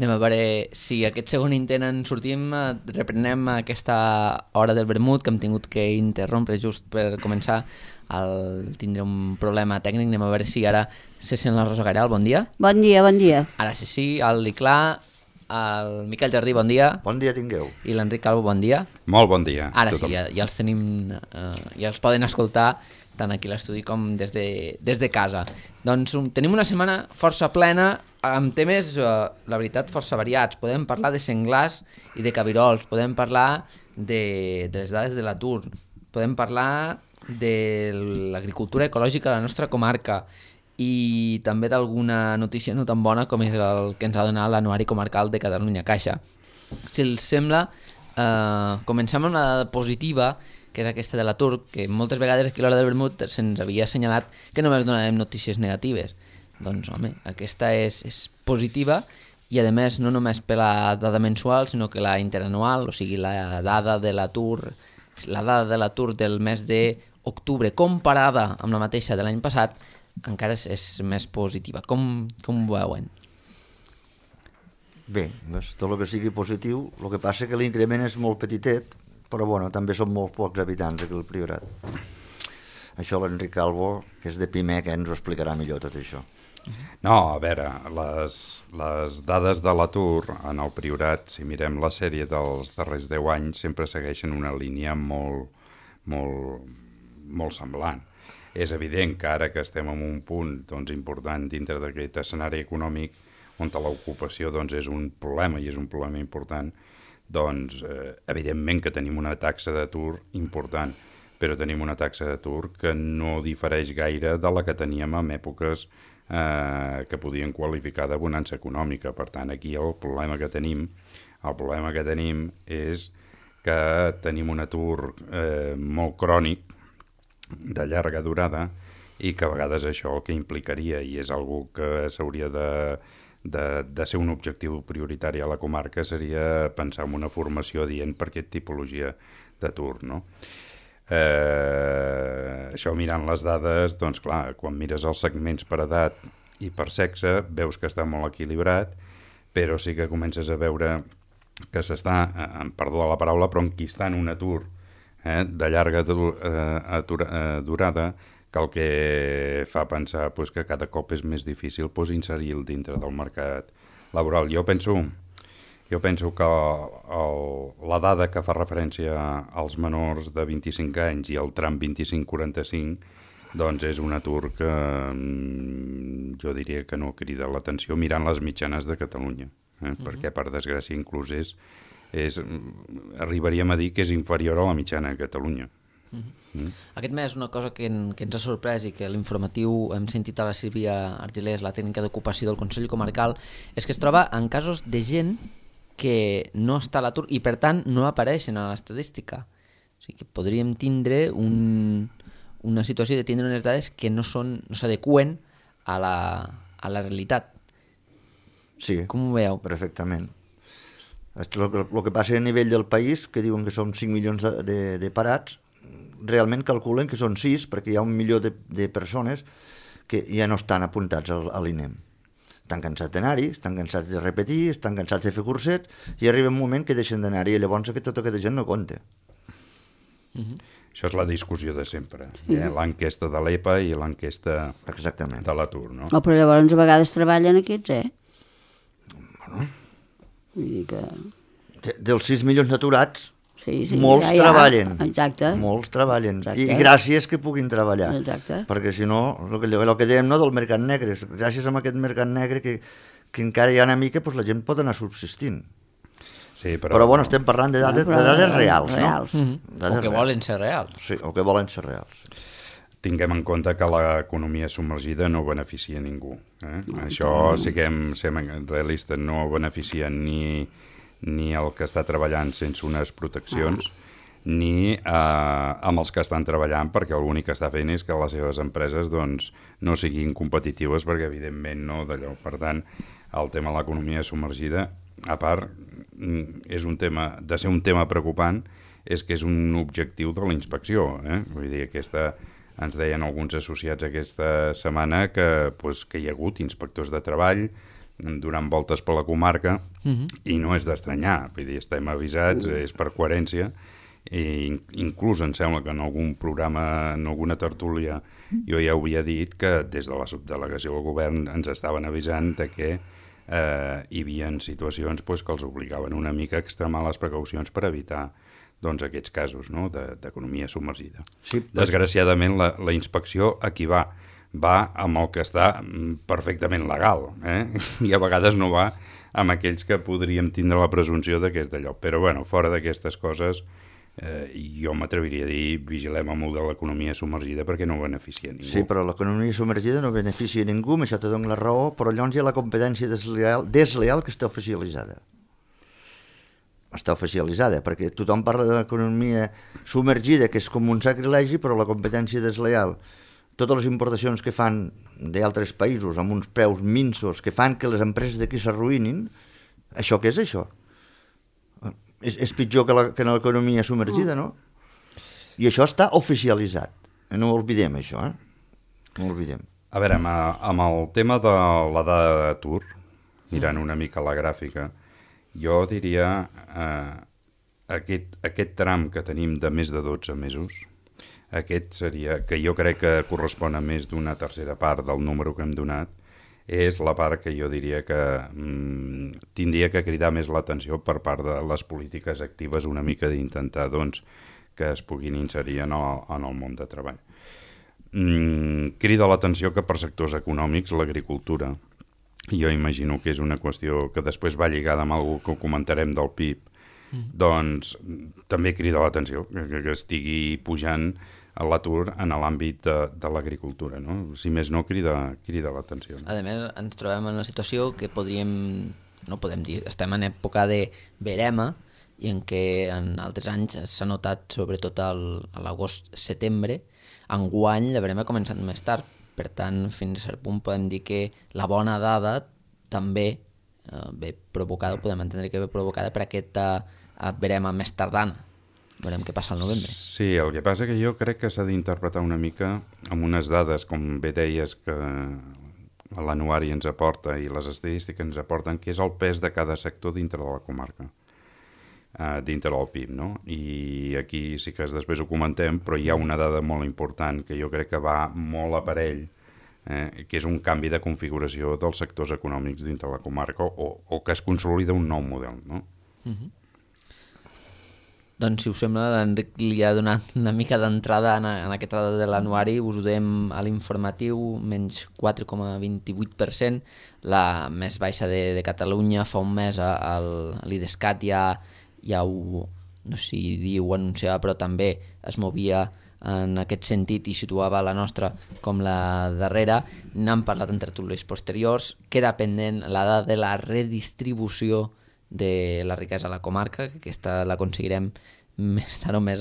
Anem a veure si aquest segon intent en sortim, reprenem aquesta hora del vermut que hem tingut que interrompre just per començar. Tindré un problema tècnic, anem a veure si ara se sent la Rosa Gairal, bon dia. Bon dia, bon dia. Ara sí, el Liclà, el Miquel Jardí, bon dia. Bon dia tingueu. I l'Enric Calvo, bon dia. Molt bon dia. Ara sí, ja els tenim, ja els poden escoltar tant aquí a l'estudi com des de casa. Doncs tenim una setmana força plena, amb temes, la veritat, força variats. Podem parlar de senglars i de cabirols, podem parlar de les dades de l'atur, podem parlar de l'agricultura ecològica a la nostra comarca i també d'alguna notícia no tan bona com és el que ens ha donat l'Anuari Comarcal de Catalunya Caixa. Si els sembla, comencem amb una dada positiva, que és aquesta de l'atur, que moltes vegades aquí a l'hora del vermut se'ns havia assenyalat que només donàvem notícies negatives. Doncs, home, aquesta és positiva i, a més, no només per la dada mensual, sinó que la interanual, o sigui, la dada de l'atur del mes d'octubre comparada amb la mateixa de l'any passat, encara és més positiva. Com ho veuen? Bé, tot el que sigui positiu, el que passa que l'increment és molt petitet, però bueno, també són molt pocs habitants aquí al Priorat. Això l'Enric Calvo, que és de Pimec, ens ho explicarà millor tot això. No, a veure, les dades de l'atur en el Priorat, si mirem la sèrie dels darrers 10 anys, sempre segueixen una línia molt semblant. És evident que ara que estem en un punt important dintre d'aquest escenari econòmic on l'ocupació és un problema i és un problema important, evidentment que tenim una taxa d'atur important, però tenim una taxa d'atur que no difereix gaire de la que teníem en èpoques que podien qualificar de bonança econòmica. Per tant, aquí el problema que tenim és que tenim un atur molt crònic, de llarga durada, i que a vegades això el que implicaria, i és algo que s'hauria de ser un objectiu prioritari a la comarca, seria pensar en una formació adient per aquesta tipologia d'atur, no? Això mirant les dades, doncs clar, quan mires els segments per edat i per sexe, veus que està molt equilibrat, però sí que comences a veure que s'està, perdó la paraula, però enquistant un atur de llarga durada, que el que fa pensar que cada cop és més difícil inserir-lo dintre del mercat laboral. Jo penso que la dada que fa referència als menors de 25 anys i el tram 25-45 doncs és un atur que jo diria que no crida l'atenció mirant les mitjanes de Catalunya, perquè per desgràcia inclús arribaríem a dir que és inferior a la mitjana de Catalunya. Aquest mes una cosa que ens ha sorprès i que a l'informatiu hem sentit a la Sílvia Argilés, la tècnica d'ocupació del Consell Comarcal, és que es troba en casos de gent que no està a l'atur i per tant no apareixen a l'estadística. O sigui que podríem tindre una situació de tindre unes dades que no s'adeqüen a la realitat. Sí, com ho veieu? Perfectament. El que passa a nivell del país, que diuen que són 5 milions de parats, realment calculen que són 6, perquè hi ha 1 milió de persones que ja no estan apuntats a l'INEM. Estan cansats d'anar-hi, estan cansats de repetir, estan cansats de fer cursets, i arriba un moment que deixen d'anar-hi, i llavors tota aquesta gent no compta. Això és la discussió de sempre, l'enquesta de l'EPA i l'enquesta de l'atur, no? Però llavors a vegades treballen aquests, Bueno, vull dir que... dels 6 milions d'aturats, sí, molts treballen. Exacte. Molts treballen. Exacte. I gràcies que puguin treballar. Exacte. Perquè si no, el que dèiem del mercat negre, gràcies a aquest mercat negre que encara hi ha una mica, la gent pot anar subsistint. Sí, però bueno, estem parlant de dades reals, no? O que volen ser reals. Sí, o que volen ser reals. Tinguem en compte que l'economia submergida no beneficia ningú. Això, siguem realistes, no beneficia ni el que està treballant sense unes proteccions, ni amb els que estan treballant, perquè l'únic que està fent és que les seves empreses no siguin competitives, perquè evidentment no d'allò. Per tant, el tema de l'economia submergida, a part, és un tema, de ser un tema preocupant, és que és un objectiu de la inspecció. Vull dir, ens deien alguns associats aquesta setmana que hi ha hagut inspectors de treball donant voltes per la comarca i no és d'estranyar, vull dir, estem avisats, és per coherència, i inclús em sembla que en algun programa, en alguna tertúlia, jo ja havia dit que des de la subdelegació del govern ens estaven avisant de que hi havia situacions pues, que els obligaven una mica a extremar les precaucions per evitar doncs, aquests casos, no?, d'economia submergida. Sí, Desgraciadament, la inspecció aquí va amb el que està perfectament legal, i a vegades no va amb aquells que podríem tindre la presumpció de que és d'allò. Però, bueno, fora d'aquestes coses, jo m'atreviria a dir vigilem amb el de l'economia submergida perquè no beneficia ningú. Sí, però l'economia submergida no beneficia ningú, amb això te dono la raó, però llavors hi ha la competència desleal que està oficialitzada. Està oficialitzada, perquè tothom parla de l'economia submergida, que és com un sacrilegi, però la competència desleal, totes les importacions que fan d'altres països amb uns preus minsos que fan que les empreses d'aquí s'arruïnin, això què és això? És pitjor que l'economia submergida, no? I això està oficialitzat. No ho oblidem, això, No ho oblidem. A veure, amb el tema de la dada d'atur, mirant una mica la gràfica, jo diria aquest tram que tenim de més de 12 mesos, aquest seria, que jo crec que correspon a més d'una tercera part del número que hem donat, és la part que jo diria que tindria que cridar més l'atenció per part de les polítiques actives, una mica d'intentar doncs, que es puguin inserir en el món de treball. Crida l'atenció que per sectors econòmics l'agricultura, jo imagino que és una qüestió que després va lligada amb alguna que comentarem del PIB, doncs també crida l'atenció que estigui pujant l'atur en l'àmbit de l'agricultura, no? Si més no, crida l'atenció. No? A més, ens trobem en una situació que estem en època de verema i en què en altres anys s'ha notat sobretot a l'agost-setembre. Enguany la verema ha començat més tard, per tant, fins a cert punt podem dir que la bona dada també ve provocada, podem entendre que ve provocada per aquesta verema més tardana. Veurem què passa al novembre. Sí, el que passa que jo crec que s'ha d'interpretar una mica amb unes dades, com bé deies, que l'anuari ens aporta i les estadístiques ens aporten, que és el pes de cada sector dintre de la comarca, dintre del PIB, no? I aquí sí que després ho comentem, però hi ha una dada molt important que jo crec que va molt a parell, que és un canvi de configuració dels sectors econòmics dintre la comarca o que es consolida un nou model, no? Doncs, si us sembla, l'Enric li ha donat una mica d'entrada en aquesta dada de l'anuari. Us ho dèiem a l'informatiu, menys 4,28%, la més baixa de Catalunya. Fa un mes l'IDESCAT ja ho, no sé si diu, ho anunciava, però també es movia en aquest sentit i situava la nostra com la darrera. N'hem parlat en tertúlies posteriors. Queda pendent la dada de la redistribució de la riquesa a la comarca, que aquesta l'aconseguirem més tard o més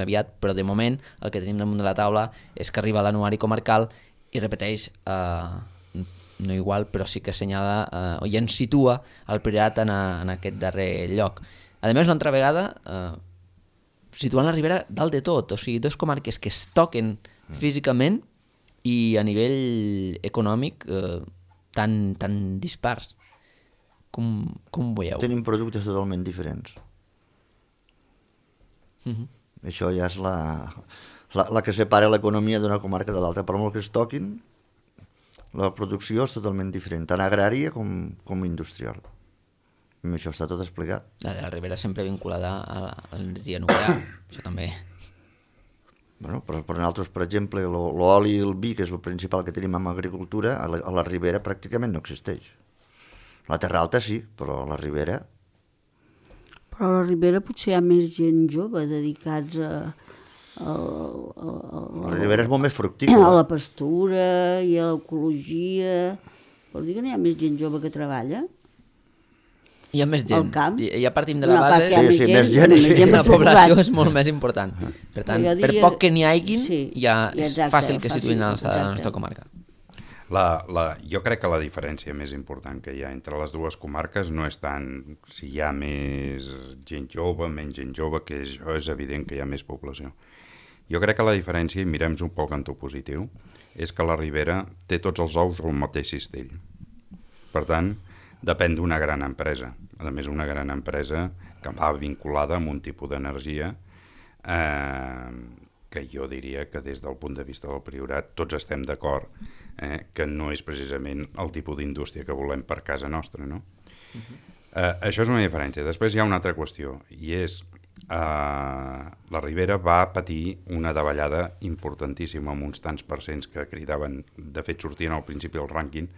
aviat, però de moment el que tenim damunt de la taula és que arriba l'anuari comarcal i repeteix, no igual, però sí que assenyala i ens situa el Priorat en aquest darrer lloc. A més, una altra vegada situant la Ribera dalt de tot, o sigui, dues comarques que es toquen físicament i a nivell econòmic tan dispars. Com ho veieu? Tenim productes totalment diferents. Això ja és la que separa l'economia d'una comarca de l'altra. Per molt que es toquin, la producció és totalment diferent, tant agrària com industrial. I això està tot explicat. La de la Ribera sempre vinculada a l'energia nuclear, això també. Bueno, per nosaltres, per exemple, l'oli i el vi, que és el principal que tenim en agricultura, a la Ribera pràcticament no existeix. La Terra Alta sí, però a la Ribera... Però a la Ribera potser hi ha més gent jove dedicats a la Ribera és molt més fructícola. A la pastura i a l'ecologia. Vols dir que no hi ha més gent jove que treballa? Hi ha més gent. Al camp? Ja partim de la base. Sí, més gent. La població és molt més important. Per tant, per poc que n'hi haguin, ja és fàcil que situïn a l'alçada de la nostra comarca. Jo crec que la diferència més important que hi ha entre les dues comarques no és tant si hi ha més gent jove, menys gent jove, que això és evident que hi ha més població. Jo crec que la diferència, i mirem-nos un poc en to positiu, és que la Ribera té tots els ous al mateix cistell. Per tant, depèn d'una gran empresa. A més, una gran empresa que va vinculada amb un tipus d'energia que jo diria que des del punt de vista del Priorat tots estem d'acord que no és precisament el tipus d'indústria que volem per casa nostra, no? Això és una diferència. Després hi ha una altra qüestió, i és la Ribera va patir una davallada importantíssima amb uns tants percents que cridaven, de fet sortien al principi del rànquing,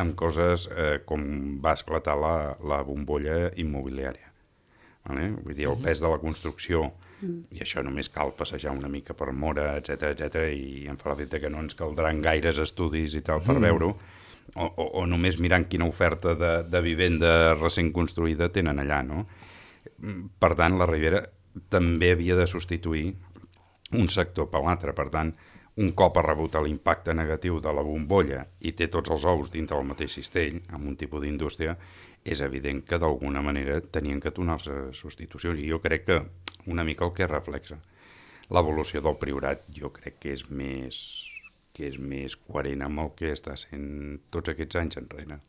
amb coses com va esclatar la bombolla immobiliària. Vale? Vull dir, el pes de la construcció, i això només cal passejar una mica per Móra, etc i em fa l'efecte que no ens caldran gaires estudis i tal per veure-ho, o només mirant quina oferta de vivenda recent construïda tenen allà, no? Per tant, la Ribera també havia de substituir un sector per l'altre. Per tant, un cop ha rebut l'impacte negatiu de la bombolla i té tots els ous dintre del mateix cistell, amb un tipus d'indústria, és evident que d'alguna manera tenien que donar-se substitucions. I jo crec que una mica el que reflexa l'evolució del Priorat, jo crec que és més coherent amb el que està sent tots aquests anys enrere.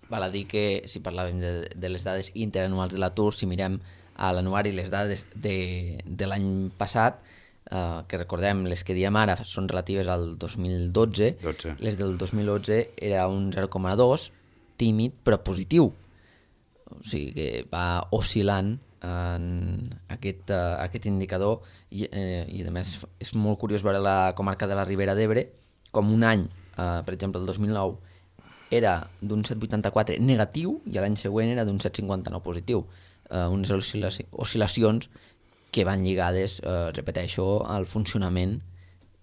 Val a dir que, si parlàvem de les dades interanuals de l'atur, si mirem a l'anuari les dades de l'any passat, que recordem, les que diem ara són relatives al 2012, les del 2011 era un 0,2, tímid però positiu. O sigui que va oscil·lant en aquest indicador i a més és molt curiós veure la comarca de la Ribera d'Ebre com un any, per exemple el 2009, era d'un 7,84 negatiu i l'any següent era d'un 7,59 positiu. Unes oscil·lacions que van lligades, repeteixo, al funcionament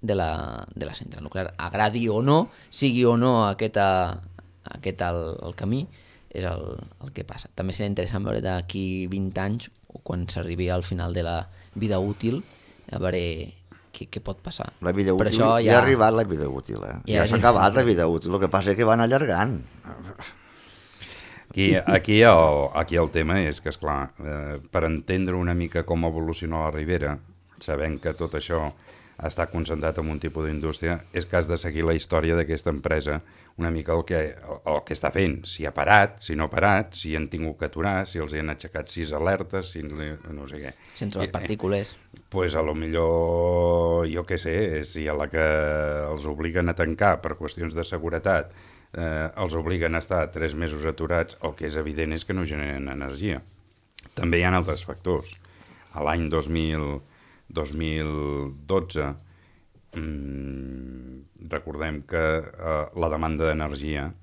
de la central nuclear. Agradi o no, sigui o no aquest el camí, és el que passa. També serà interessant veure d'aquí 20 anys, o quan s'arribi al final de la vida útil, a veure què pot passar. La vida útil, ja ha arribat la vida útil, ja s'ha acabat la vida útil, el que passa és que van allargant. Aquí el tema és que, esclar, per entendre una mica com evoluciona la Ribera, sabent que tot això està concentrat en un tipus d'indústria, és que has de seguir la història d'aquesta empresa, una mica el que està fent, si ha parat, si no ha parat, si han tingut que aturar, si els han aixecat 6 alertes, si no sé què. Si han trobat partícules. Pues a lo millor, jo què sé, si a la que els obliguen a tancar per qüestions de seguretat, els obliguen a estar 3 mesos aturats, el que és evident és que no generen energia. També hi ha altres factors. A l'any 2012 recordem que la demanda d'energia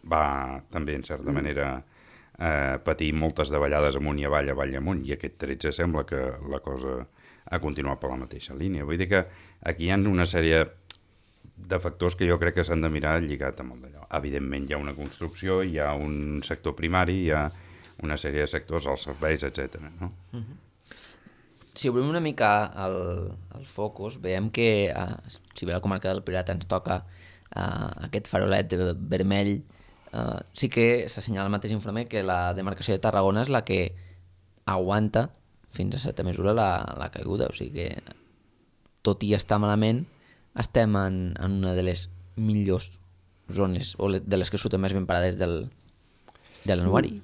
va també, en certa manera, patir moltes davallades amunt i avall i amunt, i aquest 13 sembla que la cosa ha continuat per la mateixa línia. Vull dir que aquí hi ha una sèrie de factors que jo crec que s'han de mirar lligat amb el d'allò. Evidentment hi ha una construcció, hi ha un sector primari, hi ha una sèrie de sectors, els serveis, etc. No? Si obrim una mica el focus, veiem que, si bé la comarca del Priorat ens toca aquest farolet vermell, sí que s'assenyala el mateix informe que la demarcació de Tarragona és la que aguanta fins a certa mesura la caiguda. O sigui que, tot i estar malament, estem en una de les millors zones, o de les que surten més ben parades de l'anuari.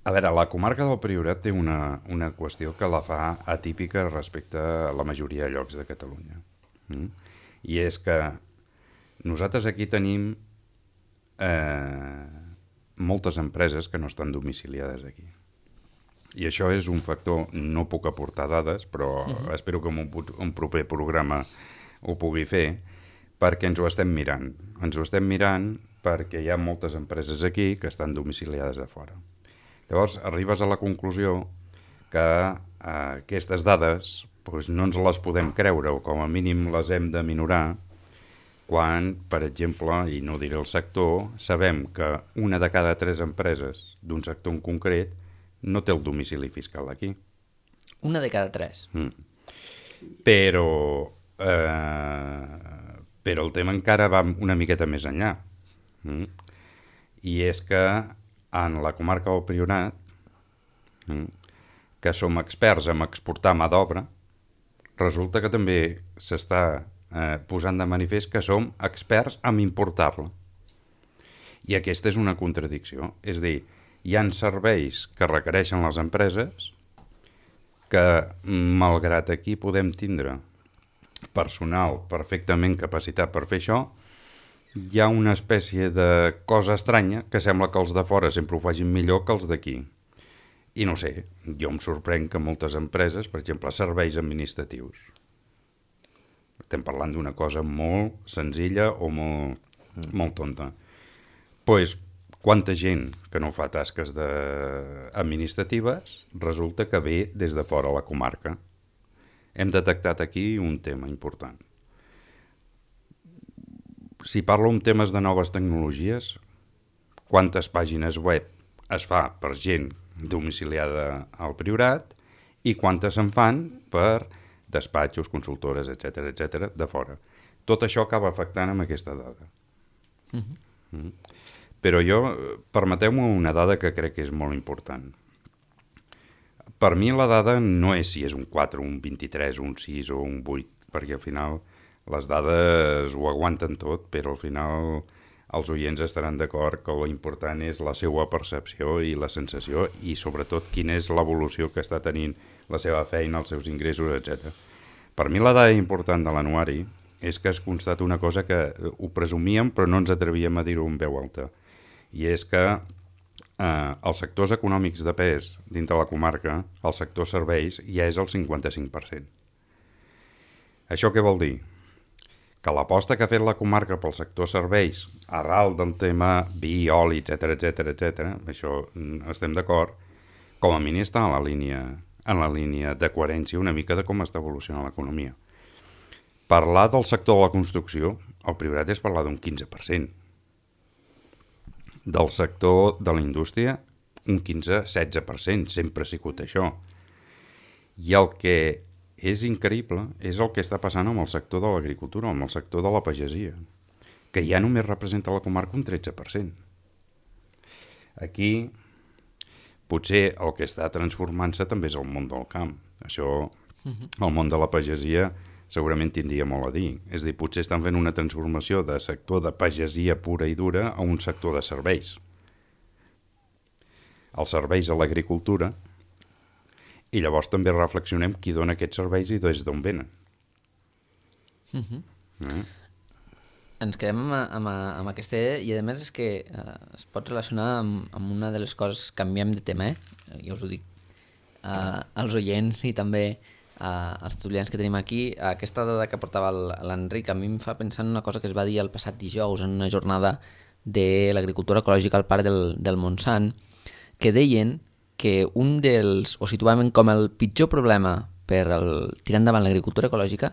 A veure, la comarca del Priorat té una qüestió que la fa atípica respecte a la majoria de llocs de Catalunya. I és que nosaltres aquí tenim moltes empreses que no estan domiciliades aquí. I això és un factor, no puc aportar dades, però espero que en un proper programa ho pugui fer, perquè ens ho estem mirant. Ens ho estem mirant perquè hi ha moltes empreses aquí que estan domiciliades a fora. Llavors, arribes a la conclusió que aquestes dades no ens les podem creure, o com a mínim les hem de minorar, quan, per exemple, i no diré el sector, sabem que una de cada 3 empreses d'un sector en concret no té el domicili fiscal aquí. Una de cada 3? Però el tema encara va una miqueta més enllà. I és que en la comarca del Priorat, que som experts en exportar mà d'obra, resulta que també s'està posant de manifest que som experts en importar-la. I aquesta és una contradicció. És a dir, hi ha serveis que requereixen les empreses que, malgrat aquí podem tindre personal perfectament capacitat per fer això, hi ha una espècie de cosa estranya que sembla que els de fora sempre ho facin millor que els d'aquí. I no sé, jo em sorprenc que moltes empreses, per exemple, serveis administratius, estem parlant d'una cosa molt senzilla o molt tonta, doncs quanta gent que no fa tasques administratives resulta que ve des de fora a la comarca. Hem detectat aquí un tema important. Si parlo en temes de noves tecnologies, quantes pàgines web es fa per gent domiciliada al Priorat i quantes se'n fan per despatxos, consultores, etc de fora. Tot això acaba afectant amb aquesta dada. Però jo, permeteu-me una dada que crec que és molt important. Per mi la dada no és si és un 4, un 23, un 6 o un 8, perquè al final les dades ho aguanten tot, però al final els oients estaran d'acord que l'important és la seva percepció i la sensació i sobretot quina és l'evolució que està tenint la seva feina, els seus ingressos, etc. Per mi la dada important de l'anuari és que es constata una cosa que ho presumíem però no ens atrevíem a dir-ho en veu alta, i és que els sectors econòmics de pes dintre la comarca, el sector serveis, ja és el 55%. Això què vol dir? Que l'aposta que ha fet la comarca pel sector serveis, arrel del tema vi, oli, etc, això estem d'acord, com a mínim està en la línia de coherència una mica de com està evolucionant l'economia. Parlar del sector de la construcció, el Priorat és parlar d'un 15%. Del sector de la indústria, un 15-16%, sempre ha sigut això. I el que és increïble és el que està passant amb el sector de l'agricultura, amb el sector de la pagesia, que ja només representa a la comarca un 13%. Aquí, potser el que està transformant-se també és el món del camp. Això, el món de la pagesia, segurament tindria molt a dir. És a dir, potser estan fent una transformació de sector de pagesia pura i dura a un sector de serveis. Els serveis a l'agricultura, i llavors també reflexionem qui dona aquests serveis i des d'on venen. Ens quedem amb aquesta idea i a més és que es pot relacionar amb una de les coses, canviem de tema, jo us ho dic als oients i també els estudiants que tenim aquí. Aquesta dada que portava l'Enric a mi em fa pensar en una cosa que es va dir el passat dijous en una jornada de l'agricultura ecològica al Parc del Montsant, que deien que un dels, o situaven com el pitjor problema per tirar endavant l'agricultura ecològica,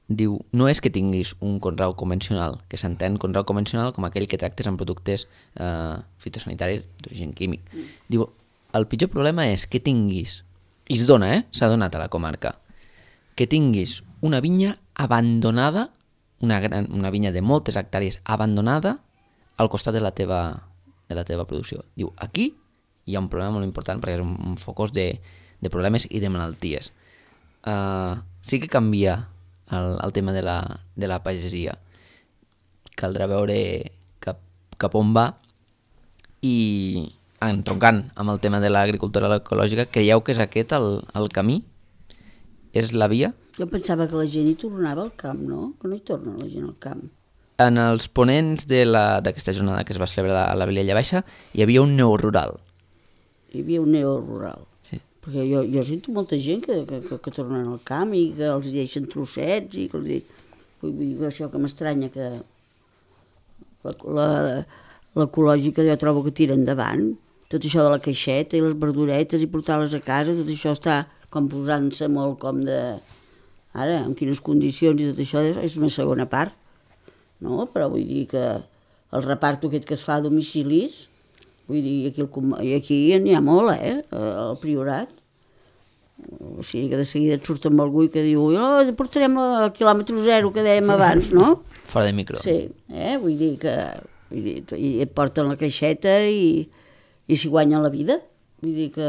diu, no és que tinguis un conreu convencional, que s'entén conreu convencional com aquell que tractes amb productes fitosanitaris d'origen químic. Diu, el pitjor problema és que tinguis, i es dona, s'ha donat a la comarca, que tinguis una vinya abandonada, una vinya de moltes hectàrees abandonada al costat de la teva producció. Diu, aquí hi ha un problema molt important perquè és un focus de problemes i de malalties. Sí que canvia el tema de la pagesia. Caldrà veure cap on va i entroncant amb el tema de l'agricultura ecològica, creieu que és aquest el camí? És la via? Jo pensava que la gent hi tornava al camp, no? Que no hi torna la gent al camp. En els ponents d'aquesta jornada que es va celebrar a la Vilella Baixa hi havia un neorural. Hi havia un neorural. Sí. Perquè jo sento molta gent que tornen al camp i que els deixen trossets i que els dic, això que m'estranya que l'ecològica jo trobo que tira endavant. Tot això de la caixeta i les verduretes i portar-les a casa, tot això està com posant-se molt com de... Ara, en quines condicions i tot això és una segona part, no? Però vull dir que el reparto aquest que es fa a domicilis, vull dir, aquí n'hi ha molt, al Priorat. O sigui que de seguida et surt amb algú i que diu portarem el quilòmetre zero que dèiem abans, no? Fora de micro. Sí, vull dir que... i et porten la caixeta i s'hi guanyen la vida. Vull dir que,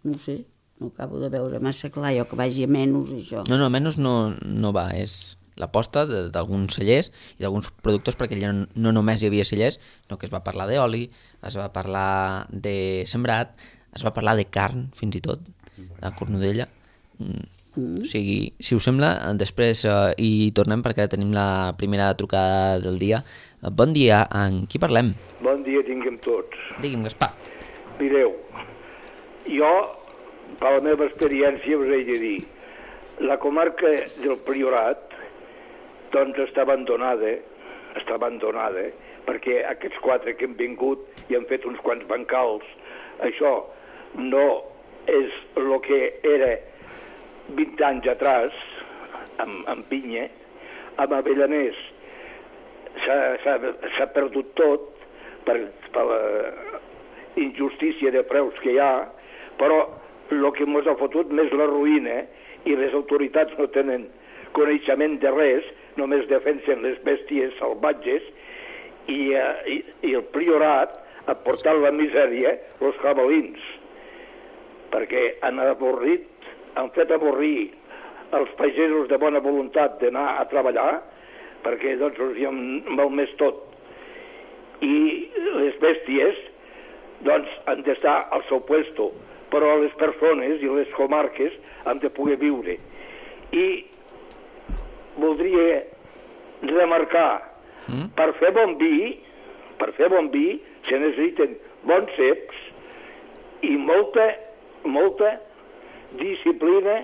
no ho sé, no acabo de veure massa clar jo que vagi a menys això. No, menys no va, és l'aposta d'alguns cellers i d'alguns productors, perquè allà no només hi havia cellers, sinó que es va parlar d'oli, es va parlar de sembrat, es va parlar de carn, fins i tot, de cornudella. O sigui, si us sembla, després hi tornem perquè ara tenim la primera trucada del dia. Bon dia, amb qui parlem? Bon dia tinguem tots. Digui'm, Gaspar. Mireu, jo, per la meva experiència, us he de dir, la comarca del Priorat, doncs està abandonada, perquè aquests 4 que han vingut i han fet uns quants bancals, això no és el que era 20 anys atrás, amb pinya. Amb Avellaners s'ha perdut tot per la injustícia de preus que hi ha, però el que ens ha fotut més la ruïna, i les autoritats no tenen coneixement de res, només defensen les bèsties salvatges, i el Priorat ha portat la misèria els jabalins, perquè han fet avorrir els pagesos de bona voluntat d'anar a treballar, perquè doncs els hi han malmès tot. I les bèsties doncs han d'estar al seu puesto, però les persones i les comarques han de poder viure. I voldria remarcar, per fer bon vi se necessiten bons ceps i molta disciplina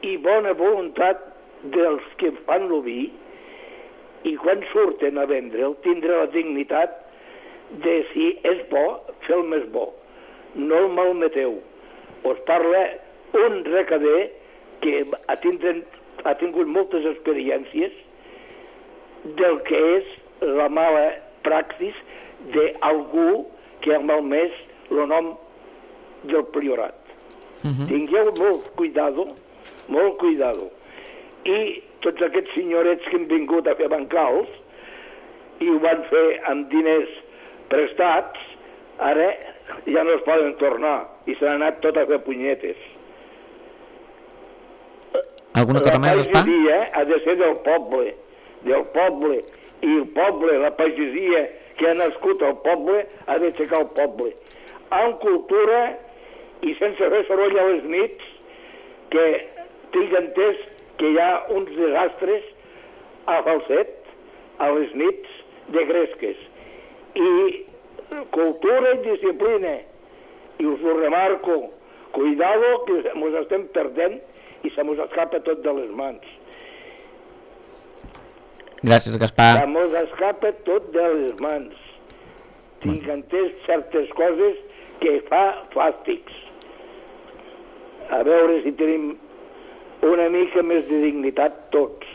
i bona voluntat dels que fan el vi, i quan surten a vendre'l tindre la dignitat de, si és bo, fer el més bo. No el malmeteu. Us parla un recader que ha tingut moltes experiències del que és la mala praxis d'algú que ha malmès el nom del Priorat. Tingueu molt cuidado. I tots aquests senyorets que han vingut a fer bancals i ho van fer amb diners prestats, ara ja no es poden tornar i s'han anat tot a fer punyetes. Alguna cosa més, Gaspar? La pagesia ha de ser del poble, i el poble, la pagesia que ha nascut al poble, ha d'aixecar el poble. Amb cultura i sense fer soroll a les nits, que tinc entès que hi ha uns desastres a Falset, a les nits de gresques. I cultura i disciplina. I us ho remarco, cuidado que ens estem perdent i se mos escapa tot de les mans. Gràcies, Gaspar. Se mos escapa tot de les mans. Tinc entès certes coses que fa fàstics. A veure si tenim una mica més de dignitat tots.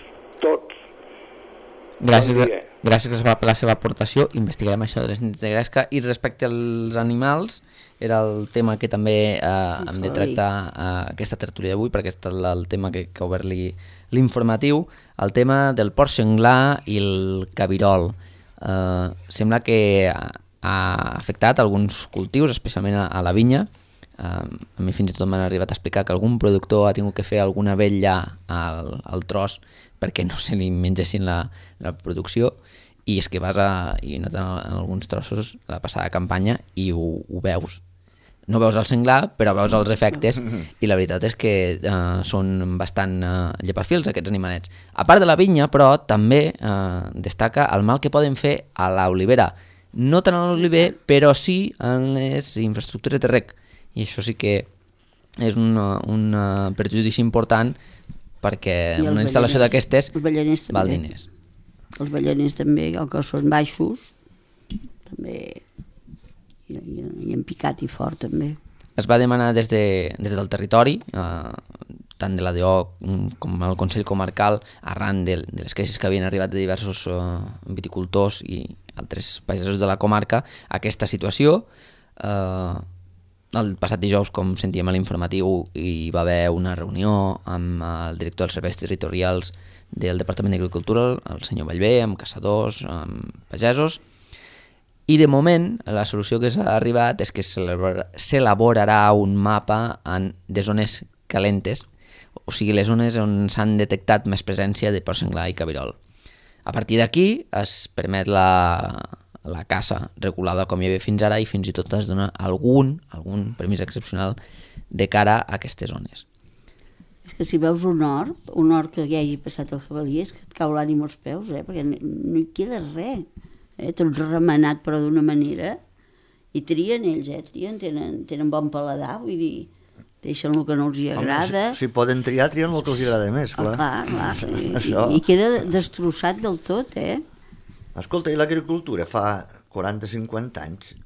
Gràcies, Bon dia. gràcies per la seva aportació. Investigarem això de les nits de gresca. I respecte als animals, era el tema que també hem de tractar aquesta tertúlia d'avui, perquè és el tema que ha obert l'informatiu, el tema del porc senglar i el cabirol. Sembla que ha afectat alguns cultius, especialment a la vinya. A mi fins i tot m'han arribat a explicar que algun productor ha tingut que fer alguna vetlla al tros perquè no se li mengessin la producció, i és que vas i noten en alguns trossos la passada campanya i ho veus. No veus el senglar, però veus els efectes, i la veritat és que són bastant llepafils aquests animalets. A part de la vinya, però, també destaca el mal que poden fer a l'olivera. No tant a l'oliver, però sí en les infraestructures de reg. I això sí que és un perjudici important, perquè una instal·lació d'aquestes val diners. Els balleners també, el que són baixos, també hi han picat i fort també. Es va demanar des del territori, tant de l'ADO com el Consell Comarcal, arran de les queixes que havien arribat de diversos viticultors i altres pagesos de la comarca, aquesta situació. El passat dijous, com sentíem a l'informatiu, hi va haver una reunió amb el director dels serveis territorials del Departament d'Agricultura, el senyor Vallvé, amb caçadors, amb pagesos, i de moment la solució que s'ha arribat és que s'elaborarà un mapa de zones calentes o sigui, les zones on s'han detectat més presència de porc senglar i cabirol. A partir d'aquí es permet la caça regulada com hi havia fins ara i fins i tot es dona algun permís excepcional de cara a aquestes zones. És que si veus un hort que ja hagi passat el jabalí, és que et cau l'ànim als peus, perquè no hi queda res. Tot remenat però d'una manera, i trien ells, tenen bon paladar, vull dir, deixen el que no els hi agrada. Si poden triar, trien el que els agrada més, clar. Clar, i queda destrossat del tot, Escolta, i l'agricultura fa 40-50 anys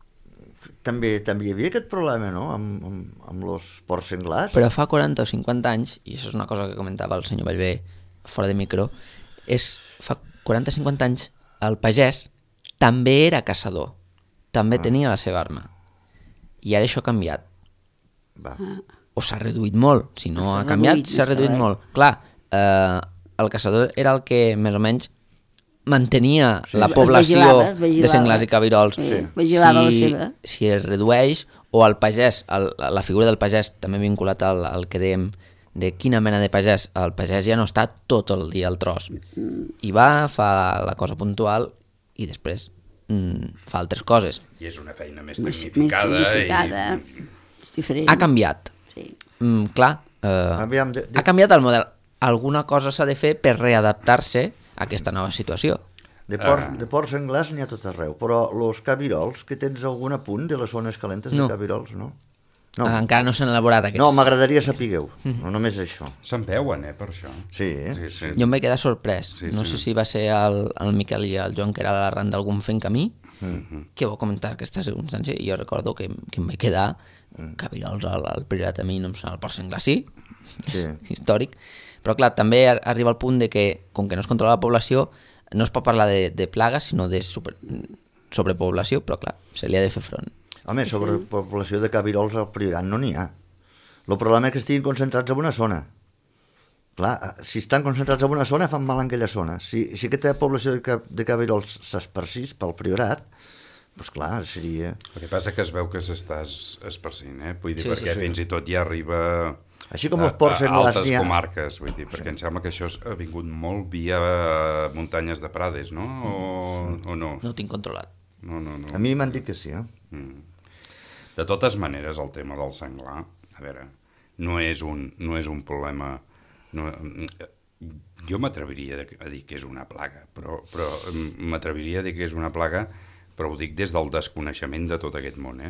també hi havia aquest problema, no?, amb els porcs senglars. Però fa 40 o 50 anys, i això és una cosa que comentava el senyor Ballbé fora de micro, fa 40 o 50 anys el pagès també era caçador, també tenia la seva arma. I ara això ha canviat. O s'ha reduït molt, si no ha canviat, s'ha reduït molt. Clar, el caçador era el que més o menys mantenia la població de senglars i cabirols. Si es redueix, o el pagès, la figura del pagès, també vinculat al que dèiem de quina mena de pagès, el pagès ja no està tot el dia al tros. I va, fa la cosa puntual i després fa altres coses. I és una feina més tecnificada. És diferent. Ha canviat. Clar, ha canviat el model. Alguna cosa s'ha de fer per readaptar-se a aquesta nova situació. De porcs senglars n'hi ha tot arreu, però els cabirols, que tens algun apunt de les zones calentes de cabirols, no? Encara no s'han elaborat aquests. No, m'agradaria sapigueu, no només això. Se'n veuen, per això. Sí. Jo em vaig quedar sorprès. No sé si va ser el Miquel i el Joan, que era l'arran d'algun fent camí, que vau comentar aquesta circumstància, i jo recordo que em vaig quedar cabirols al Priorat, a mi no em sona el porc senglar, sí, històric, però clar, també arriba al punt de que, com que no es controla la població, no es pot parlar de plagues, sinó de sobrepoblació, però clar, se li ha de fer front. Home, sobrepoblació de cabirols al Priorat no n'hi ha. El problema és que estiguin concentrats en una zona. Clar, si estan concentrats en una zona, fan mal en aquella zona. Si aquesta població de cabirols s'esparcís pel Priorat, doncs clar, seria... El que passa que es veu que s'està esparcint, vull dir, perquè fins i tot ja arriba... Així com els porcs senglars altres comarques, vull dir, perquè em sembla que això ha vingut molt via muntanyes de Prades, no? O no? No ho tinc controlat. No. A mi m'han dit que sí, De totes maneres, el tema del senglar, a veure, no és un problema... Jo m'atreviria a dir que és una plaga, però m'atreviria a dir que és una plaga, però ho dic des del desconeixement de tot aquest món,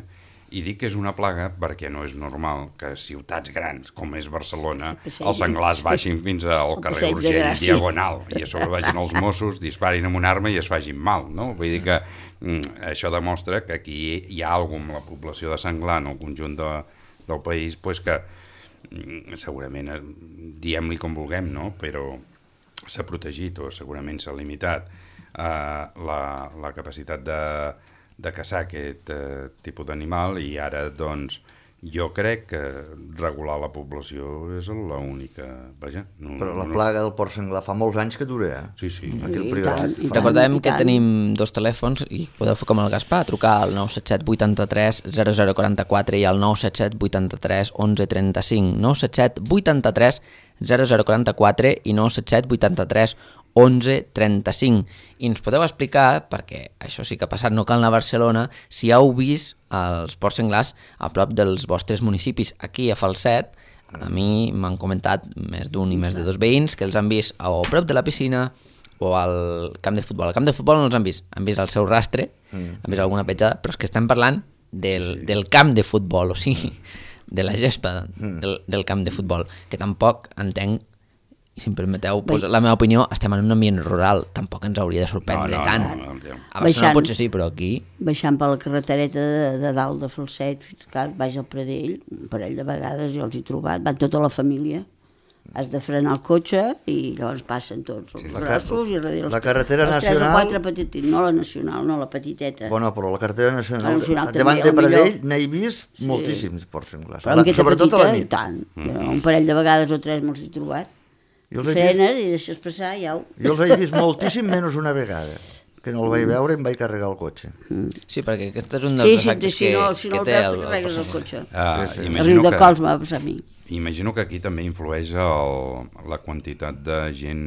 I dic que és una plaga perquè no és normal que a ciutats grans, com és Barcelona, els senglars baixin fins al carrer Urgell diagonal i a sobre vagin els Mossos, disparin amb una arma i es facin mal, no? Vull dir que això demostra que aquí hi ha alguna amb la població de senglar en el conjunt del país que segurament, diem-li com vulguem, no? Però s'ha protegit o segurament s'ha limitat la capacitat de caçar aquest tipus d'animal i ara, doncs, jo crec que regular la població és l'única... Vaja, però la plaga del porc senglar fa molts anys que dura, Sí. Aquí al Priorat. Recordem que tenim 2 telèfons i podeu fer com el Gaspar, trucar al 977 83 0044 i al 977 83 11 35. 977 83 0044 i 977 83 11:35 i ens podeu explicar, perquè això sí que ha passat, no cal anar a Barcelona, si heu vist els porcs senglars a prop dels vostres municipis. Aquí a Falset, a mi m'han comentat més d'un i més de 2 veïns que els han vist o a prop de la piscina o al camp de futbol. Al camp de futbol no els han vist el seu rastre, han vist alguna petjada, però és que estem parlant del camp de futbol, o sigui, de la gespa del camp de futbol, que tampoc entenc. I si em permeteu, la meva opinió, estem en un ambient rural, tampoc ens hauria de sorprendre tant. A Barcelona potser sí, però aquí... Baixant per la carretereta de dalt de Falset, fins que baix al Pradell, un parell de vegades jo els he trobat, van tota la família, has de frenar el cotxe i llavors passen tots els grossos i darrere la carretera nacional... Els 3 o 4 petitins, no la nacional, no la petiteta. Bueno, però la carretera nacional davant de Pradell n'he vist moltíssims porcs senglars, sobretot a la nit. Tant, un parell de vegades o 3 me'ls he trobat. Frenes i deixes passar i au. Jo els he vist moltíssim menys una vegada, que no el vaig veure i em vaig carregar el cotxe. Sí, perquè aquest és un dels efectes que té el carregues el cotxe. A Riu de Cols m'ha passat a mi. Imagino que aquí també influeix la quantitat de gent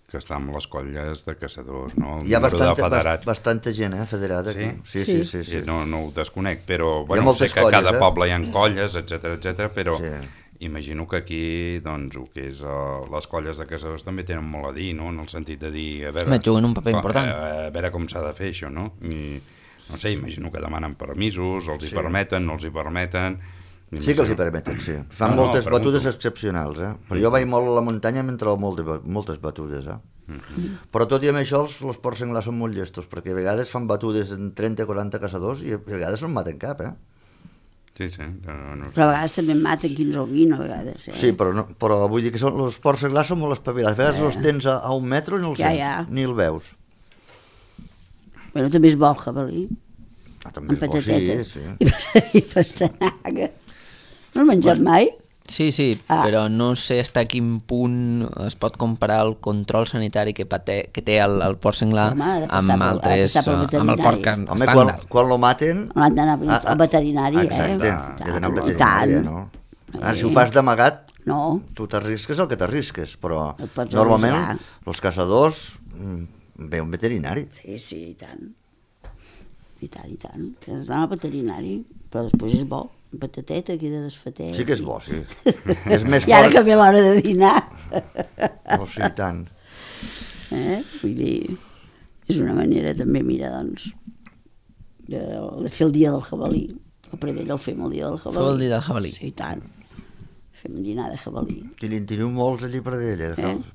que està amb les colles de caçadors, no? Hi ha bastanta gent, federada. Sí? Sí. No ho desconec, però bueno, sé que a cada poble hi ha colles, etc, però imagino que aquí, doncs, el que és les colles de caçadors també tenen molt a dir, no? En el sentit de dir, a veure... Juguen un paper important. A veure com s'ha de fer això, no? I, no sé, imagino que demanen permisos, els hi permeten, no els hi permeten... Sí que els hi permeten, sí. Fan moltes batudes excepcionals, Però jo vaig molt a la muntanya i em trobo moltes batudes, Però tot i amb això, els porcs senglars són molt llestos, perquè a vegades fan batudes en 30 o 40 caçadors i a vegades no en maten cap, Sí. Però a vegades també en maten 15 o 20, a vegades. Sí, però vull dir que els porcs senglars són molt espavilats. A vegades els tens a 1 metre i no els sents, ni el veus. Bueno, també és bo el jabalí. També és bo, sí. I pastanaga. No has menjat mai? Sí, però no sé fins a quin punt es pot comparar el control sanitari que té el porc senglar amb el porc estàndard. Quan lo maten... L'han d'anar al veterinari, Exacte, he d'anar al veterinari, no? Si ho fas d'amagat, tu t'arrisques el que t'arrisques, però normalment els caçadors ve un veterinari. Sí, i tant. I tant. Has d'anar al veterinari, però després és bo. Un patatet aquí de desfatet. Sí que és bo, sí. És més fort. I ara que ve l'hora de dinar. Sí, i tant. Vull dir, és una manera també, mira, doncs, de fer el dia del jabalí. El Pradell el fem el dia del jabalí. Fem el dia del jabalí. Sí, i tant. Fem un dinar de jabalí. Teniu molts allí a Pradell,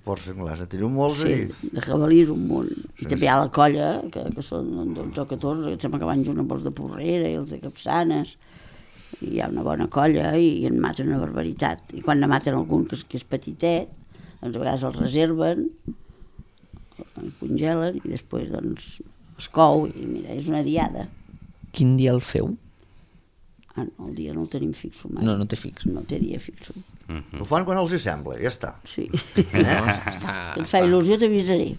porcs senglars. Teniu molts allí? Sí, de jabalí és un munt. I també hi ha la colla, que són 12 o 14, que sembla que van junt amb els de Porrera i els de Capçanes. I hi ha una bona colla i en maten una barbaritat. I quan ne maten algun que és petitet, doncs a vegades el reserven, el congelen i després doncs es cou i mira, és una diada. Quin dia el feu? No, el dia no el tenim fixo mai. No té fix. No té dia fixo. Ho fan quan els hi sembla, ja està. Sí. Et fa il·lusió, t'avisaré.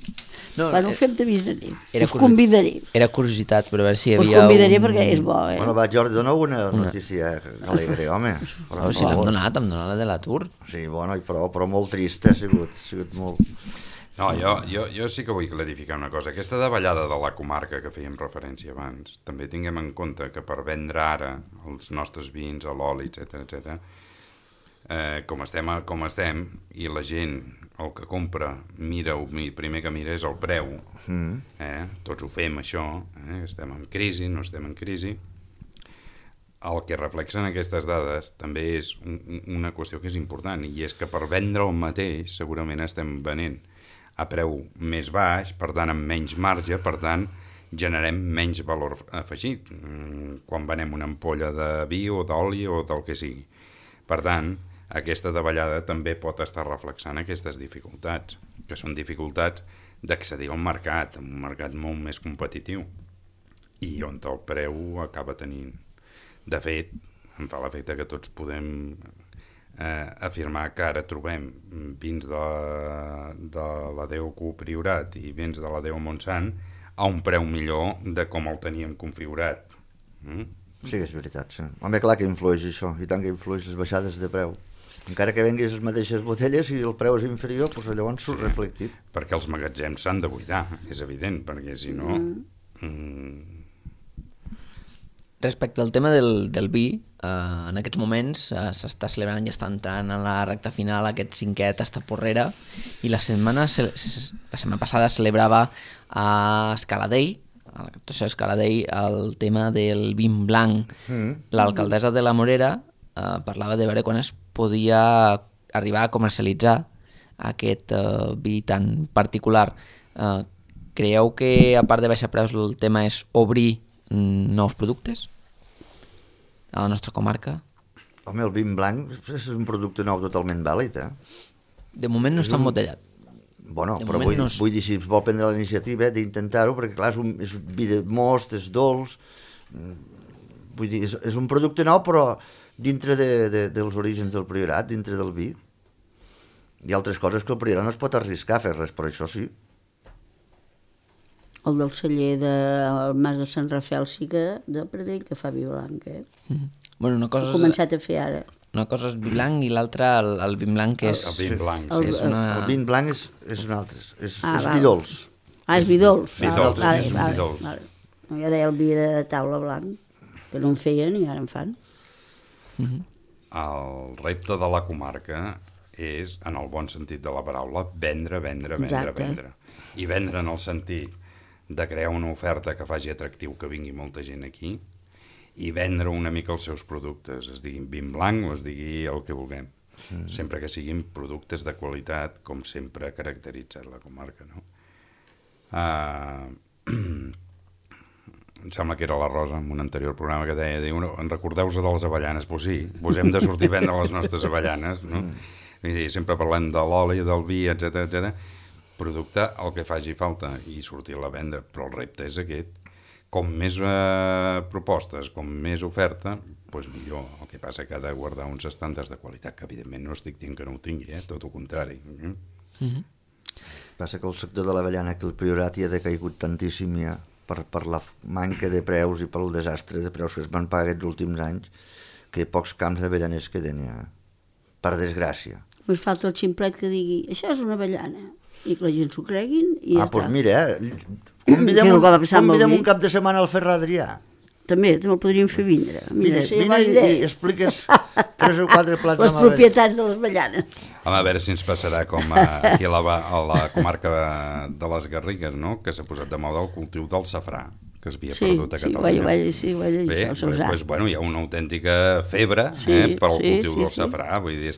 Quan ho fem t'avisaré. Us convidaré. Era curiositat per veure si hi havia... Us convidaré perquè és bo, Bueno, va, Jordi, dona una notícia alegre, home. Si l'hem donat, la de l'atur. Sí, bueno, però molt trista ha sigut molt... No, jo sí que vull clarificar una cosa. Aquesta davallada de la comarca que fèiem referència abans, també tinguem en compte que per vendre ara els nostres vins, l'oli, etc, com estem, i la gent, el que compra, el primer que mira és el preu. Tots ho fem, això. Estem en crisi, no estem en crisi. El que reflexen aquestes dades també és una qüestió que és important, i és que per vendre el mateix segurament estem venent a preu més baix, per tant amb menys marge, per tant generem menys valor afegit quan venem una ampolla de vi o d'oli o del que sigui. Per tant, aquesta davallada també pot estar reflexant aquestes dificultats, que són dificultats d'accedir al mercat, un mercat molt més competitiu, i on el preu acaba tenint. De fet, em fa l'efecte que tots podem afirmar que ara trobem vins de la DEU Priorat i vins de la DEU Montsant a un preu millor de com el teníem configurat. Sí, és veritat, sí. Home, clar que influeix això, i tant que influeix les baixades de preu. Encara que venguis les mateixes botelles i el preu és inferior, doncs llavors surt reflectit. Perquè els magatzems s'han de buidar, és evident, perquè si no... Respecte al tema del vi, en aquests moments s'està celebrant, ja està entrant en la recta final aquest 5è Tasta Porrera, i la setmana passada celebrava a Escaladell, a la captació d'Escaladell, el tema del vin blanc. L'alcaldessa de la Morera parlava de veure quan es podia arribar a comercialitzar aquest vi tan particular. Creieu que, a part de baixar preus, el tema és obrir nous productes a la nostra comarca? Home, el vin blanc és un producte nou totalment vàlid, De moment no està embotellat. Bueno, però vull dir, si es vol prendre la iniciativa d'intentar-ho, perquè clar, és un vi de most, és dolç, vull dir, és un producte nou, però dintre dels orígens del Priorat, dintre del vi. Hi ha altres coses que el Priorat no es pot arriscar a fer res, però això sí. El del celler del Mas de Sant Rafael sí que de Pradell, que fa vi blanc, Bueno, una cosa ha començat a fer ara. Una cosa és vi blanc i l'altra el vin blanc, que és... El vin blanc, sí. És una... El vin blanc és un altre, és val. vi dolç. És vi dolç. Vi dolç, és un vi dolç. Vale. No, jo deia el vi de taula blanc, que no en feien i ara en fan. El repte de la comarca és, en el bon sentit de la paraula, vendre. Exacte. I vendre en el sentit de crear una oferta que faci atractiu que vingui molta gent aquí i vendre una mica els seus productes, es diguin vin blanc o es digui el que vulguem. Sempre que siguin productes de qualitat, com sempre ha caracteritzat la comarca, no? Em sembla que era la Rosa, en un anterior programa, que deia, en recordeu-vos de les avellanes? Pues sí, vos hem de sortir a vendre les nostres avellanes, no? Vull dir, sempre parlem de l'oli, del vi, etc. Producte, el que faci falta, i sortir-la a vendre, però el repte és aquest. Com més propostes, com més oferta, doncs millor. El que passa que ha de guardar uns estàndards de qualitat, que evidentment no estic dient que no ho tingui, tot el contrari. Passa que el sector de l'avellana, que el Priorat ja ha decaigut tantíssim ja, per la manca de preus i pel desastre de preus que es van pagar aquests últims anys, que pocs camps d'avellaners queden ja, per desgràcia. Us falta el ximplet que digui, això és una avellana, i que la gent s'ho creguin i ja està. Doncs mira, convidem un cap de setmana al Ferran Adrià. També el podríem fer vindre. Mira i expliques 3 o 4 plats les propietats de les avellanes. A veure si ens passarà com aquí a la comarca de les Garrigues, no? Que s'ha posat de moda el cultiu del safrà, que es havia perdut a Catalunya. Sí, ho he llegit. Bé, doncs, bueno, hi ha una autèntica febre pel cultiu del safrà. Vull dir,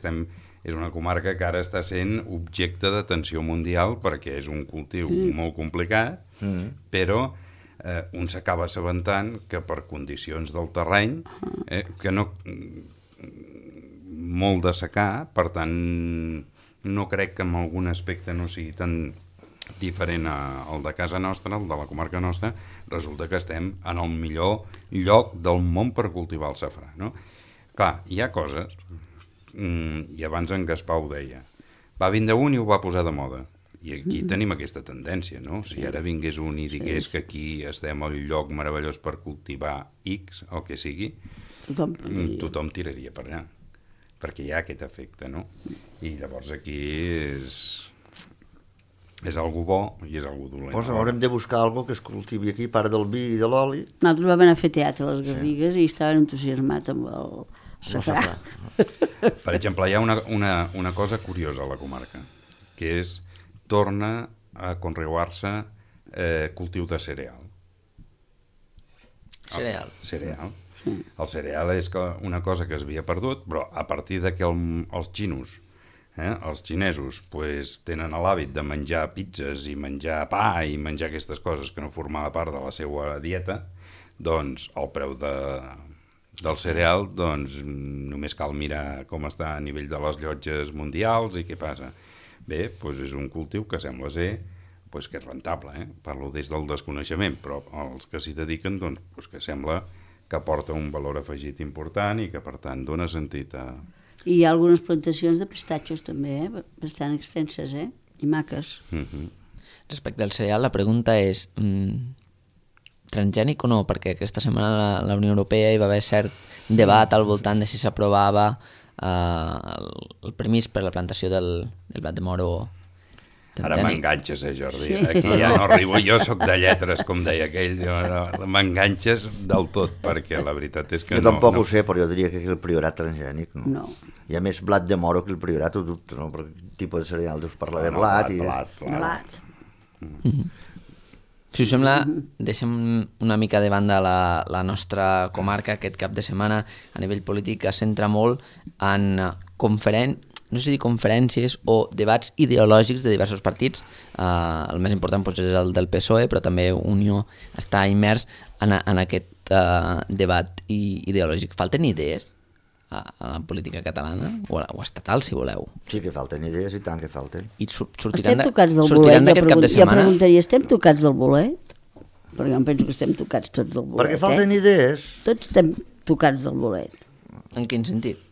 és una comarca que ara està sent objecte d'atenció mundial perquè és un cultiu molt complicat, però un s'acaba assabentant que per condicions del terreny, que no molt de secà, per tant no crec que en algun aspecte no sigui tan diferent al de casa nostra, el de la comarca nostra, resulta que estem en el millor lloc del món per cultivar el safrà, no? Clar, hi ha coses, i abans en Gaspar ho deia, va vindre un i ho va posar de moda. I aquí tenim aquesta tendència, no? Si ara vingués un i digués que aquí estem al lloc meravellós per cultivar X, el que sigui, tothom tiraria per allà, perquè hi ha aquest efecte, no? I llavors aquí és algo bo i és algo dolent. Doncs haurem de buscar algo que es cultivi aquí, part del vi i de l'oli. Nosaltres vam anar a fer teatre a les Garrigues i estaven entusiasmats amb el safrà. Per exemple, hi ha una cosa curiosa a la comarca, que és torna a conrear-se cultiu de cereal. Cereal. El cereal és una cosa que es havia perdut, però a partir de que els xinesos tenen l'hàbit de menjar pizzas i menjar pa i menjar aquestes coses que no formava part de la seva dieta, doncs el preu del cereal, doncs només cal mirar com està a nivell de les llotges mundials i què passa. Bé, doncs és un cultiu que sembla ser que és rentable, parlo des del desconeixement, però els que s'hi dediquen, doncs que sembla que aporta un valor afegit important i que per tant dona sentit a... I hi ha algunes plantacions de pistatxos també, bastant extenses, i maques. Respecte al cereal, la pregunta és transgènic o no? Perquè aquesta setmana la Unió Europea hi va haver cert debat al voltant de si s'aprovava el permís per la plantació del blat de moro transgènic. Ara m'enganxes, Jordi. Aquí ja no arribo. Jo sóc de lletres, com deia aquell. M'enganxes del tot, perquè la veritat és que jo tampoc ho sé, però jo diria que el Priorat transgènic, no. Hi ha més blat de moro que el Priorat, ho dubto, no? Perquè el tipus de cereal deus parlar de blat. Blat. Si us sembla, deixem una mica de banda la nostra comarca. Aquest cap de setmana a nivell polític es centra molt en no sé si conferències o debats ideològics de diversos partits. El més important és el del PSOE, però també Unió està immers en aquest debat ideològic. Falten idees a la política catalana o estatal, si voleu? Sí que falten idees, i tant que falten. I estem tocats del bolet? Jo preguntaria, estem tocats del bolet? Perquè jo penso que estem tocats tots del bolet. Perquè falten idees. Tots estem tocats del bolet. En quin sentit?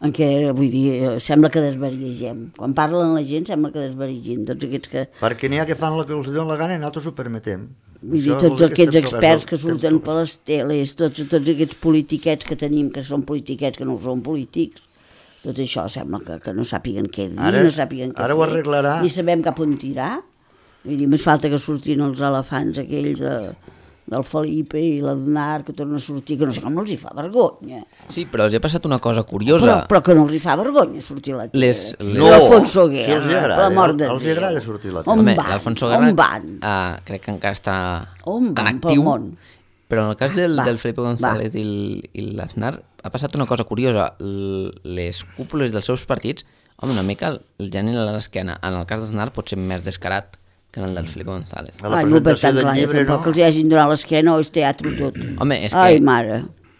en què, vull dir, sembla que desvariegem. Quan parlen la gent sembla que desvariegin. Tots aquests que... Perquè n'hi ha que fan el que els donen la gana i nosaltres ho permetem. Vull dir, tots aquests experts que surten per les teles, tots aquests politiquets que tenim, que són politiquets, que no són polítics, tot això sembla que no sàpiguen què dir, no sàpiguen què ara fer, ho arreglarà. ni sabem cap on tirar. Vull dir, més falta que surtin els elefants aquells del Felipe i l'Adnar, que tornen a sortir, que no sé com els hi fa vergonya. Sí, però els he passat una cosa curiosa. Però que no els hi fa vergonya sortir a la tele. No, l'Alfonso si Guerra, els agrada, per l'amor de els Déu. agrada sortir a la On tele. van? l'Alfonso Guerra, On van? crec que encara està On en van pel actiu, món? però en el cas del Felipe va. González i l'Aznar ha passat una cosa curiosa. Les cúpules dels seus partits, home, una mica el geni a l'esquena. En el cas d'Aznar pot ser més descarat que en el del Felipe González. A la Ai, no, per presentació tant, del clar, llibre, no? tampoc els hi hagin donat l'esquena o és teatre tot. Home, és Ai, que... mare.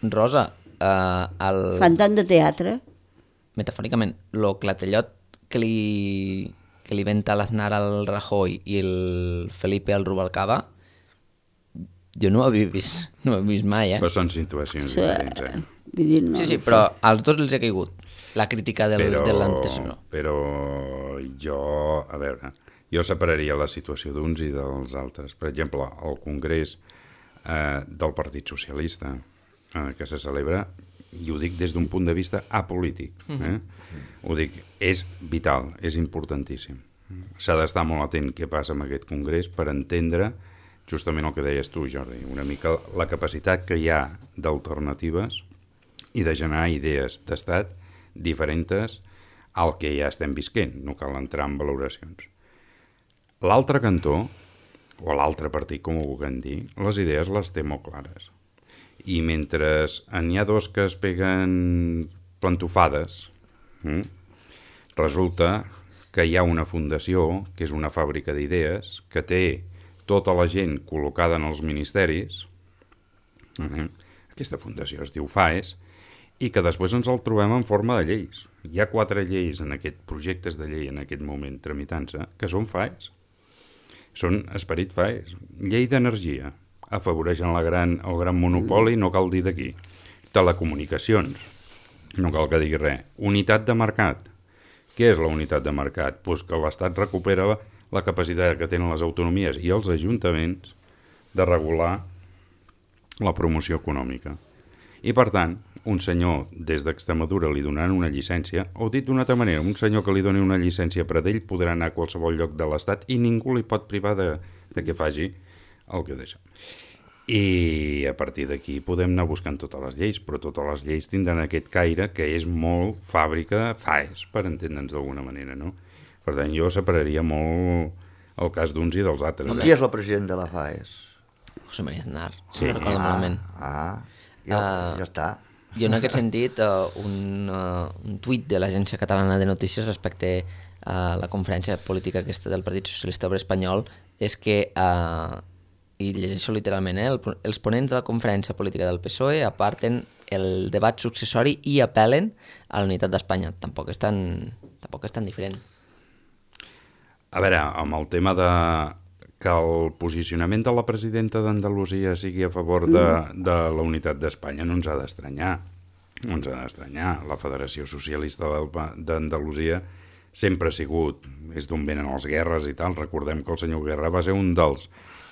Rosa, Fan tant de teatre. metafòricament, el clatellot que li venta l'Aznar al Rajoy i el Felipe al Rubalcaba, jo no ho havia vist mai, Però són situacions Sí, diferents, vull dir, no, Sí, però als dos els ha caigut la crítica de l'antecessor. Però jo, a veure, jo separaria la situació d'uns i dels altres. Per exemple, el Congrés del Partit Socialista que se celebra, i ho dic des d'un punt de vista apolític, ho dic, és vital, és importantíssim. S'ha d'estar molt atent què passa amb aquest Congrés per entendre justament el que deies tu, Jordi, una mica la capacitat que hi ha d'alternatives i de generar idees d'estat diferents al que ja estem visquent, no cal entrar en valoracions. L'altre cantó, o l'altre partit, com ho vulguem dir, les idees les té molt clares. I mentre n'hi ha dos que es peguen plantofades, resulta que hi ha una fundació, que és una fàbrica d'idees, que té tota la gent col·locada en els ministeris, aquesta fundació es diu FAES, i que després ens el trobem en forma de lleis. Hi ha 4 lleis en aquest projectes de llei en aquest moment tramitant-se, que són FAES. Són esperit FAES. Llei d'energia, afavoreixen el gran monopoli, no cal dir d'aquí. Telecomunicacions, no cal que digui res. Unitat de mercat. Què és la unitat de mercat? Pues que l'Estat recupera la capacitat que tenen les autonomies i els ajuntaments de regular la promoció econòmica. I, per tant, un senyor des d'Extremadura li donaran una llicència, o dit d'una altra manera, un senyor que li doni una llicència per a ell podrà anar a qualsevol lloc de l'Estat i ningú li pot privar de que faci el que deixa. I a partir d'aquí podem anar buscant totes les lleis, però totes les lleis tindran aquest caire que és molt fàbrica FAES, per entendre'ns d'alguna manera, no? Per tant, jo separaria molt el cas d'uns i dels altres. Qui és el president de la FAES? José María Aznar, Sí. si no recordo malament. Ja està. Jo en aquest sentit, un tuit de l'Agència Catalana de Notícies respecte a la conferència política aquesta del Partit Socialista Obrer Espanyol és que, i llegeixo literalment, els ponents de la conferència política del PSOE aparten el debat successori i apel·len a la unitat d'Espanya. Tampoc és tan diferent. A veure, amb el tema de que el posicionament de la presidenta d'Andalusia sigui a favor de la unitat d'Espanya no ens ha d'estranyar. No ens ha d'estranyar. La Federació Socialista d'Andalusia sempre ha sigut, és d'on venen les guerres i tal. Recordem que el senyor Guerra va ser un dels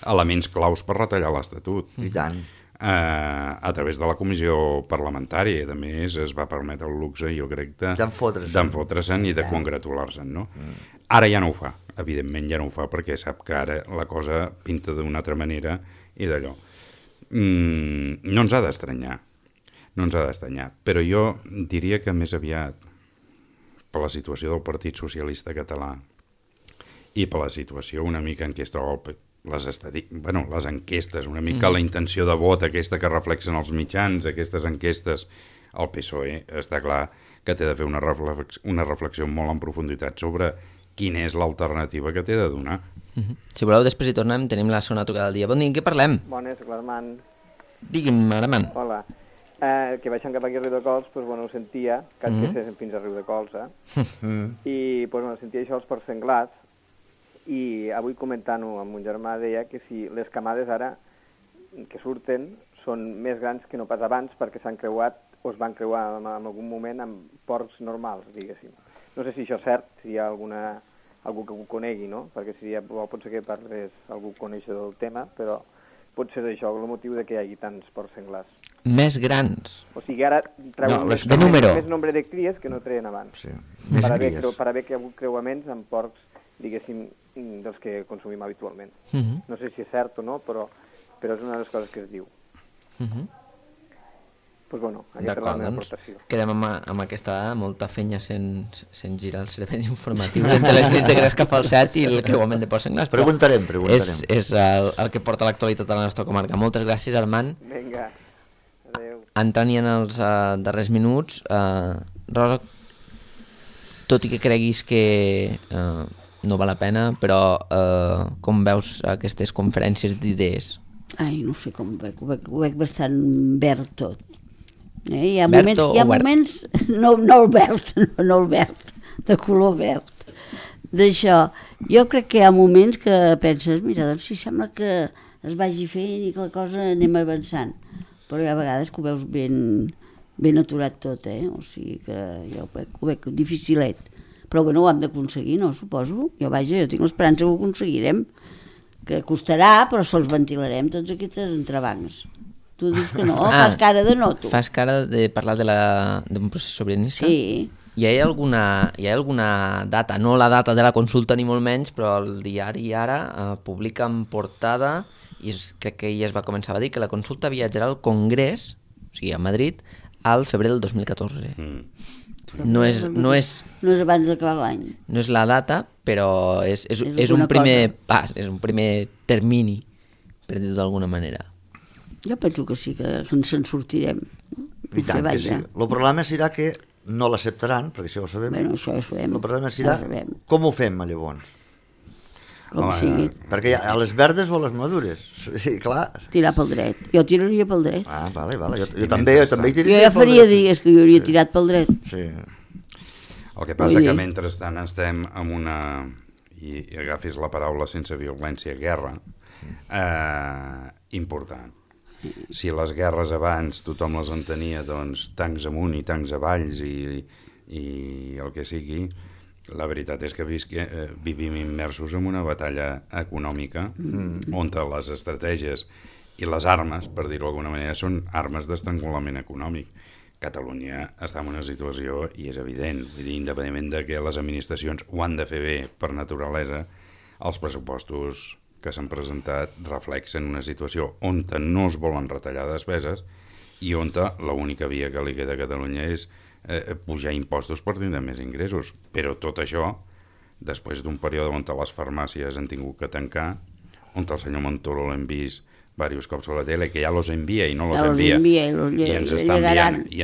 elements claus per retallar l'Estatut. I tant. A través de la comissió parlamentària. A més, es va permetre el luxe, jo crec, d'enfotre-se'n i de congratular-se'n, no? Ara ja no ho fa, evidentment ja no ho fa, perquè sap que ara la cosa pinta d'una altra manera i d'allò. No ens ha d'estranyar, però jo diria que més aviat per la situació del Partit Socialista Català i per la situació una mica en què es troba les enquestes, una mica la intenció de vot aquesta que reflexen els mitjans, aquestes enquestes, el PSOE està clar que té de fer una reflexió molt en profunditat sobre quina és l'alternativa que té de donar. Si voleu, després hi tornem, tenim la segona trucada del dia. Bon dia, en què parlem? Bones, l'Armand. Digui'm, Armand. Hola. Que baixant cap aquí a Riudecols, doncs, bueno, ho sentia, que fins a Riudecols, I, doncs, bueno, sentia això els porcs senglars, i avui comentant-ho amb un germà deia que si les camades ara que surten són més grans que no pas abans perquè s'han creuat o es van creuar en algun moment amb porcs normals, diguéssim. No sé si això és cert, si hi ha algú que ho conegui, no? Perquè pot ser que parles algú coneixedor del tema, però pot ser això el motiu de que hi hagi tants porcs senglars. Més grans. O sigui, ara treuen No, més nombre de cries que no treien abans. Sí. Per haver que hi ha hagut creuaments amb porcs, diguéssim, dels que consumim habitualment. No sé si és cert o no, però és una de les coses que es diu. Pues bueno, aquesta és la meva aportació. Quedem amb aquesta dada, molta fenya sense girar els serveis informatius entre les nits de Gresca Falset i el creuament de porcs senglars. Preguntarem. És el que porta l'actualitat a la nostra comarca. Moltes gràcies, Armand. Vinga, adeu. Entrant en els darrers minuts, Rosa, tot i que creguis que no val la pena, però com veus aquestes conferències d'idees? Ai, no sé com ho veig bastant verd tot. Hi ha moments no el verd, de color verd. D'això, jo crec que hi ha moments que penses, mira, doncs si sembla que es vagi fent i que la cosa anem avançant, però hi ha vegades que ho veus ben aturat tot, o sigui que jo ho veig dificilet. Però bueno, ho hem d'aconseguir, no? Suposo. Jo tinc l'esperança que ho aconseguirem, que costarà, però sols ventilarem tots aquests entrebancs. Tu dius que no, fas cara de no, tu. Fas cara de parlar d'un procés sobiranista? Sí. Hi ha alguna data, no la data de la consulta ni molt menys, però el diari Ara publica en portada, i crec que ja es va començar a dir, que la consulta viatjarà al Congrés, o sigui, a Madrid, al febrer del 2014. No és abans d'acabar l'any. No és la data, però és un primer pas, és un primer termini, per dir-ho d'alguna manera. Jo penso que sí, que ens en sortirem. I tant que sí. El problema serà que no l'acceptaran, perquè això ho sabem. Bueno, això ho sabem. El problema serà com ho fem, llavors. Com sigui. Perquè a les verdes o a les madures. Sí, clar. Tirar pel dret. Jo tiraria pel dret. Ah, vale. Jo també hi tiraria pel dret. Jo ja faria dies que jo hauria tirat pel dret. Sí. El que passa que mentrestant estem amb una, i agafis la paraula sense violència, guerra, important. Si les guerres abans tothom les entenia, doncs, tancs amunt i tancs avalls i el que sigui, la veritat és que vivim immersos en una batalla econòmica on les estratègies i les armes, per dir-ho d'alguna manera, són armes d'estrangulament econòmic. Catalunya està en una situació, i és evident, vull dir, independentment de que les administracions ho han de fer bé per naturalesa, els pressupostos que s'han presentat reflexen una situació on no es volen retallar despeses i on l'única via que li queda a Catalunya és pujar impostos per tindre més ingressos. Però tot això, després d'un període on les farmàcies han tingut que tancar, on el senyor Montoro l'hem vist diversos cops a la tele, que ja los envia i no los envia, i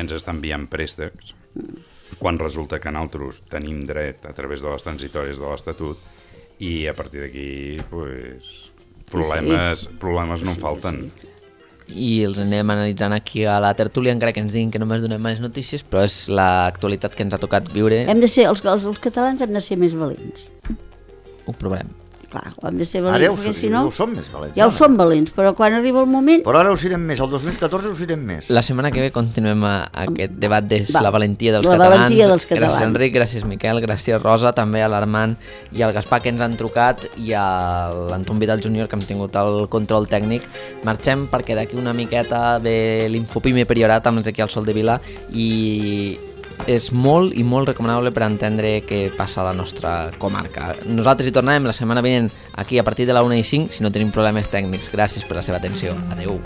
ens està enviant préstecs, quan resulta que nosaltres tenim dret a través de les transitòries de l'Estatut, i a partir d'aquí problemes no en falten. I els anem analitzant aquí a la tertúlia, encara que ens diguin que només donem més notícies, però és l'actualitat que ens ha tocat viure. Els catalans hem de ser més valents. Ho provarem. Clar, hem de ser valents, perquè si no... Ara ho som més valents. Ja ho som valents, però quan arriba el moment... Però ara ho serem més, el 2014 ho serem més. La setmana que ve continuem aquest debat de la valentia dels catalans. Gràcies Enric, gràcies Miquel, gràcies Rosa, també a l'Armand i al Gaspar que ens han trucat i a l'Anton Vidal Júnior que hem tingut el control tècnic. Marxem perquè d'aquí una miqueta ve l'Infopime Priorat amb l'Ezequiel Soldevila i és molt i molt recomanable per entendre què passa a la nostra comarca. Nosaltres hi tornarem la setmana vinent aquí a partir de la 1:05 si no tenim problemes tècnics. Gràcies per la seva atenció. Adeu.